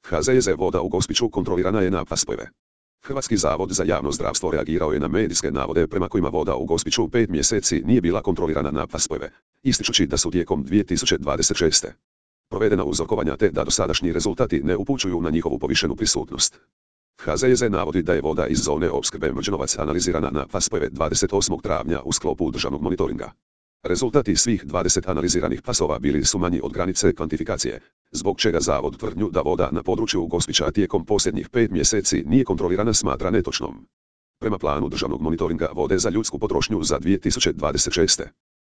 HZJZ voda u Gospiću kontrolirana je na spojeve. Hrvatski zavod za javno zdravstvo reagirao je na medijske navode prema kojima voda u Gospiću 5 mjeseci nije bila kontrolirana na spojeve, ističući da su tijekom 2026. provedena uzorkovanja te da dosadašnji rezultati ne upućuju na njihovu povišenu prisutnost. HZJZ navodi da je voda iz zone opskrbe Mrđenovac analizirana na spojeve 28. travnja u sklopu državnog monitoringa. Rezultati svih 20 analiziranih pasova bili su manji od granice kvantifikacije, zbog čega zavod tvrdnju da voda na području Gospića tijekom posljednjih 5 mjeseci nije kontrolirana smatra netočnom. Prema planu državnog monitoringa vode za ljudsku potrošnju za 2026.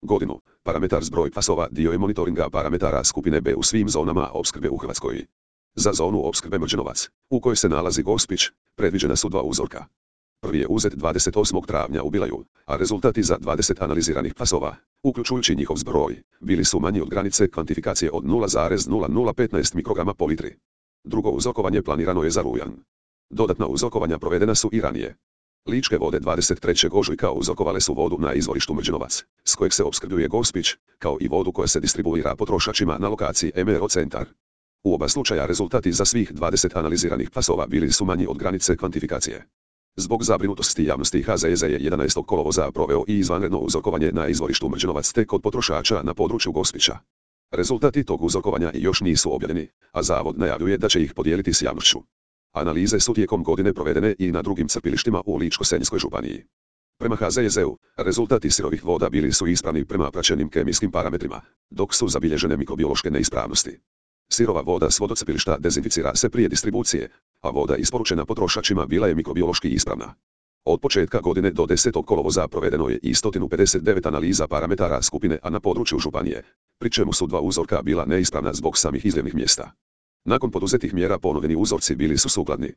godinu, parametar zbroj pasova dio je monitoringa parametara skupine B u svim zonama opskrbe u Hrvatskoj. Za zonu opskrbe Mrđenovac, u kojoj se nalazi Gospić, predviđena su 2 uzorka. Prvi je uzet 28. travnja u Bilaju, a rezultati za 20 analiziranih pasova, uključujući njihov zbroj, bili su manji od granice kvantifikacije od 0,0015 mikrograma po litri. Drugo uzorkovanje planirano je za rujan. Dodatna uzorkovanja provedena su i ranije. Ličke vode 23. ožujka uzorkovale su vodu na izvorištu Mrđenovac, s kojeg se opskrbljuje Gospić, kao i vodu koja se distribuira potrošačima na lokaciji MRO centar. U oba slučaja rezultati za svih 20 analiziranih pasova bili su manji od granice kvantifikacije. Zbog zabrinutosti javnosti HZJZ je 11. kolovoza proveo i izvanredno uzorkovanje na izvorištu Mrđenovac te kod potrošača na području Gospića. Rezultati tog uzorkovanja još nisu objavljeni, a zavod najavljuje da će ih podijeliti s javnošću. Analize su tijekom godine provedene i na drugim crpilištima u Ličko-senjskoj županiji. Prema HZJZ-u, rezultati sirovih voda bili su ispravni prema praćenim kemijskim parametrima, dok su zabilježene mikrobiološke neispravnosti. Sirova voda s vodocrpilišta dezinficira se prije distribucije, a voda isporučena potrošačima bila je mikrobiološki ispravna. Od početka godine do 10. kolovoza provedeno je i 159 analiza parametara skupine A na području županije, pri čemu su 2 uzorka bila neispravna zbog samih izljevnih mjesta. Nakon poduzetih mjera ponovljeni uzorci bili su sukladni.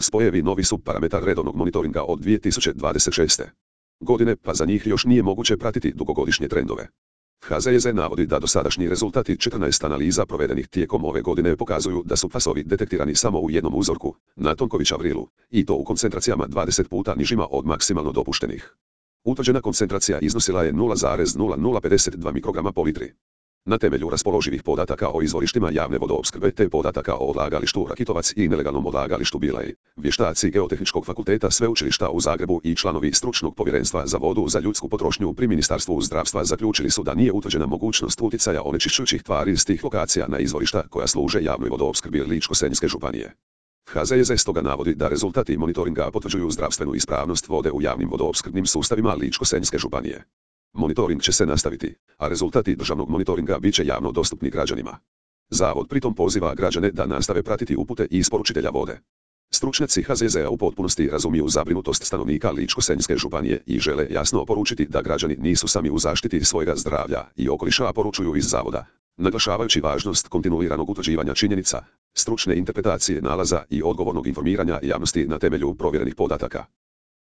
Spojevi novi su parametar redovnog monitoringa od 2026. godine, pa za njih još nije moguće pratiti dugogodišnje trendove. HZJZ navodi da dosadašnji rezultati 14 analiza provedenih tijekom ove godine pokazuju da su pasovi detektirani samo u jednom uzorku, na Tonkovića vrilu, i to u koncentracijama 20 puta nižima od maksimalno dopuštenih. Utvrđena koncentracija iznosila je 0,0052 mikrograma po litri. Na temelju raspoloživih podataka o izvorištima javne vodoopskrbe te podataka o odlagalištu Rakitovac i nelegalnom odlagalištu Bilaj, vještaci Geotehničkog fakulteta Sveučilišta u Zagrebu i članovi stručnog povjerenstva za vodu za ljudsku potrošnju pri Ministarstvu zdravstva zaključili su da nije utvrđena mogućnost utjecaja onečišćujućih tvari iz tih lokacija na izvorišta koja služe javnoj vodoopskrbi Ličko-senjske županije. HZJZ stoga navodi da rezultati monitoringa potvrđuju zdravstvenu ispravnost vode u javnim vodoopskrbnim sustavima Ličko-senjske županije. Monitoring će se nastaviti, a rezultati državnog monitoringa bit će javno dostupni građanima. Zavod pritom poziva građane da nastave pratiti upute i isporučitelja vode. Stručnjaci HZJZ-a u potpunosti razumiju zabrinutost stanovnika Ličko-senjske županije i žele jasno poručiti da građani nisu sami u zaštiti svojega zdravlja i okoliša, poručuju iz zavoda, naglašavajući važnost kontinuiranog utvrđivanja činjenica, stručne interpretacije nalaza i odgovornog informiranja javnosti na temelju provjerenih podataka.